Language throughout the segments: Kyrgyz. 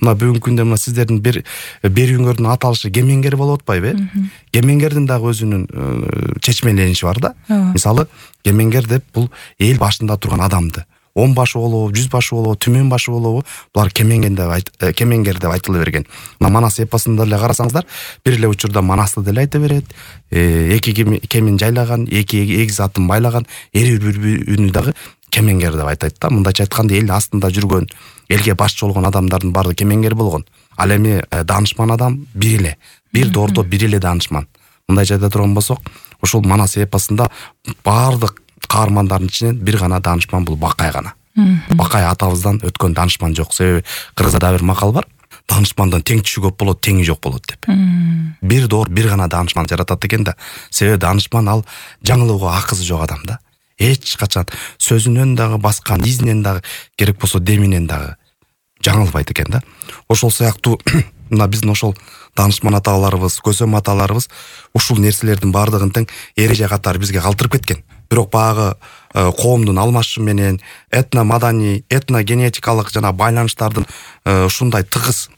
мына бүгүнкү күндө мына сиздердин берүүңөрдүн аталышы кемеңгер болуп атпайбы? Кемеңгердин дагы өзүнүн чечмелениши бар да. Мисалы, кемеңгер деп бул эл башында турган адамды 10 башы болобу, 100 башы болобу, түмөн башы болобу, булар кемеңгер деп айтыла берген. Мына Манас эпосунда эле карасаңыздар, бир эле учурда Манасты деле айта берет. Эки кемин жайлаган, эки эгиз атын байлаган, эр бүрүнү дагы кемеңгер деп айтат да. Мындайча айтканда эл астында жүргөн, элге башчы болгон адамдардын баары кемеңгер болгон. Ал эми даанышман адам бир эле, бир доордо бир эле даанышман. Мындайча айта турган болсок, ушул Манас эпосунда баардык каармандардын ичинен бир гана даанышман бул Бакай гана. Бакай атабыздан өткөн даанышман жок. Себеби кыргызда бир макал бар. Даанышмандан теңчү көп болот, теңи жок болот деп. Бир доор бир гана даанышман жаратат экен да. Себеби даанышман ал жаңылууга акысы жок адам да. Эч качан сөзүнөн дагы баскан, изинен дагы, керек болсо деминен дагы жаңылбайт экен да. Ошол сыяктуу мына биздин ошол даанышман аталарыбыз, көсөм аталарыбыз ушул нерселердин баардыгын тең эреже катары бизге калтырып кеткен. Бирок багы коомдун алмашышы менен этно-маданий, этно-генетикалык жана байланыштардын ушундай тыгыз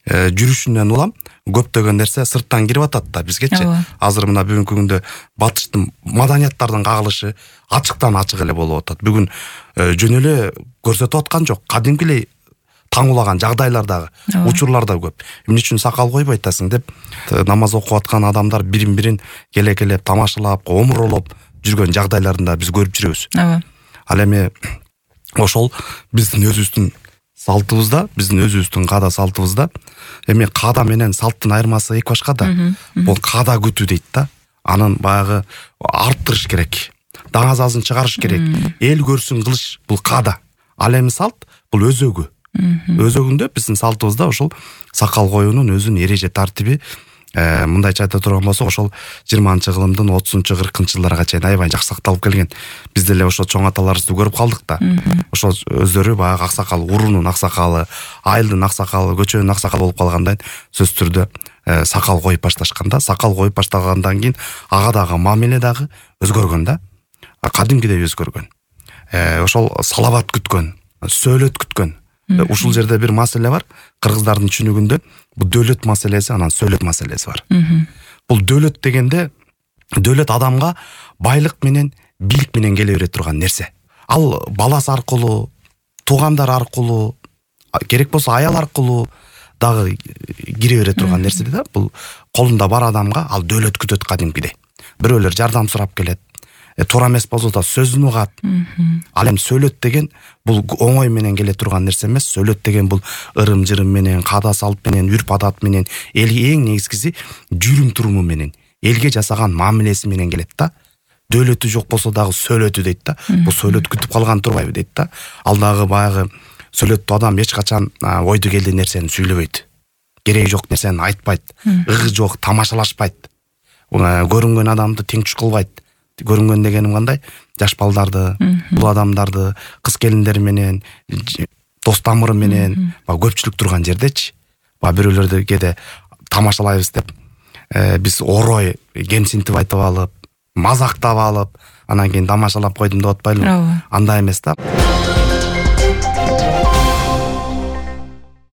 жүрүшүнөн улам көптөгөн нерсе сырттан кирип атат да бизгечи. Азыр мына бүгүнкү күндө батыштын маданияттардын кагылышы ачыктан ачык эле болуп атат. Бүгүн жөн эле көрсөтүп аткан жок, кадимки эле таңулаган жагдайлар дагы, учурлар да көп. Эмне үчүн сакал койбойт атасың деп намаз окуп аткан адамдар бирин-бирин келек-келеп тамашалап, омуролоп жүргөн жагдайларында биз көрүп жүрөбүз. Ал эми ошол биздин өзүбүздүн салтыбызда, биздин өзүбүздүн каада салтыбызда, эми каада менен салттын айырмасы эки башка да. Бул каада күтүү дейт да. Анын баягы арттырыш керек. Даңазасын чыгарыш керек. Эл көрсүн кылыш бул каада. Ал эми салт бул өзөгү. Өзөгүндө биздин салтыбызда ошол сакал коюунун өзүнүн эреже тартиби, мындайча айта турган болсок, ошол 20-кылымдын 30-40 жылдарга чейин аябай жакшы сакталып келген. Биз деле ошо чоң аталарыбызды көрүп калдык да. Ошол өздөрү баягы аксакал, уруунун аксакалы, айылдын аксакалы, көчөнүн аксакалы болуп калгандан сөзсүз түрдө сакал коюп башташканда, сакал коюп баштагандан кийин ага дагы мамиле дагы өзгөргөн да. Кадимкидей өзгөргөн. Ошол салават күткөн, сөөлөт күткөн. Ушул жерде бир маселе бар. Кыргыздардын түшүнүгүндө бул дөөлөт маселеси, анан сөөлөт маселеси бар. Бул дөөлөт дегенде, дөөлөт адамга байлык менен, бийлик менен келе бере турган нерсе. Ал баласы аркылуу, туугандар аркылуу, керек болсо аял аркылуу дагы кире бере турган нерсе да. Бул колунда бар адамга ал дөөлөт күтөт кадимкидей. Бирөөлөр жардам сурап келет. Туура эмес болсо да сөзүн угат. Ал эми сөөлөт деген бул оңой менен келе турган нерсе эмес. Сөөлөт деген бул ырым-жырым менен, каада салт менен, үрп-адат менен, элге эң негизгиси жүрүм-туруму менен, элге жасаган мамилеси менен келет да. Дөөлөтү жок болсо дагы сөөлөтү дейт да. Бул сөөлөт күтүп калган турбайбы дейт да. Ал дагы баягы сөөлөттүү адам эч качан ойду келди нерсени сүйлөбөйт. Кереги жок нерсени айтпайт. Ыгы жок тамашалашпайт. Көрүнгөн адамды теңчү кылбайт. Көрүнгөн дегеним кандай? Жаш балдарды, бул адамдарды, кыз келиндер менен, дос тамыры менен, көпчүлүк турган жердечи. Бирөөлөрдө кээде тамашалайбыз деп биз орой кемсинтип айтып алып, мазактап алып, анан кийин тамашалап койдум деп атпайлыбы? Андай эмес да.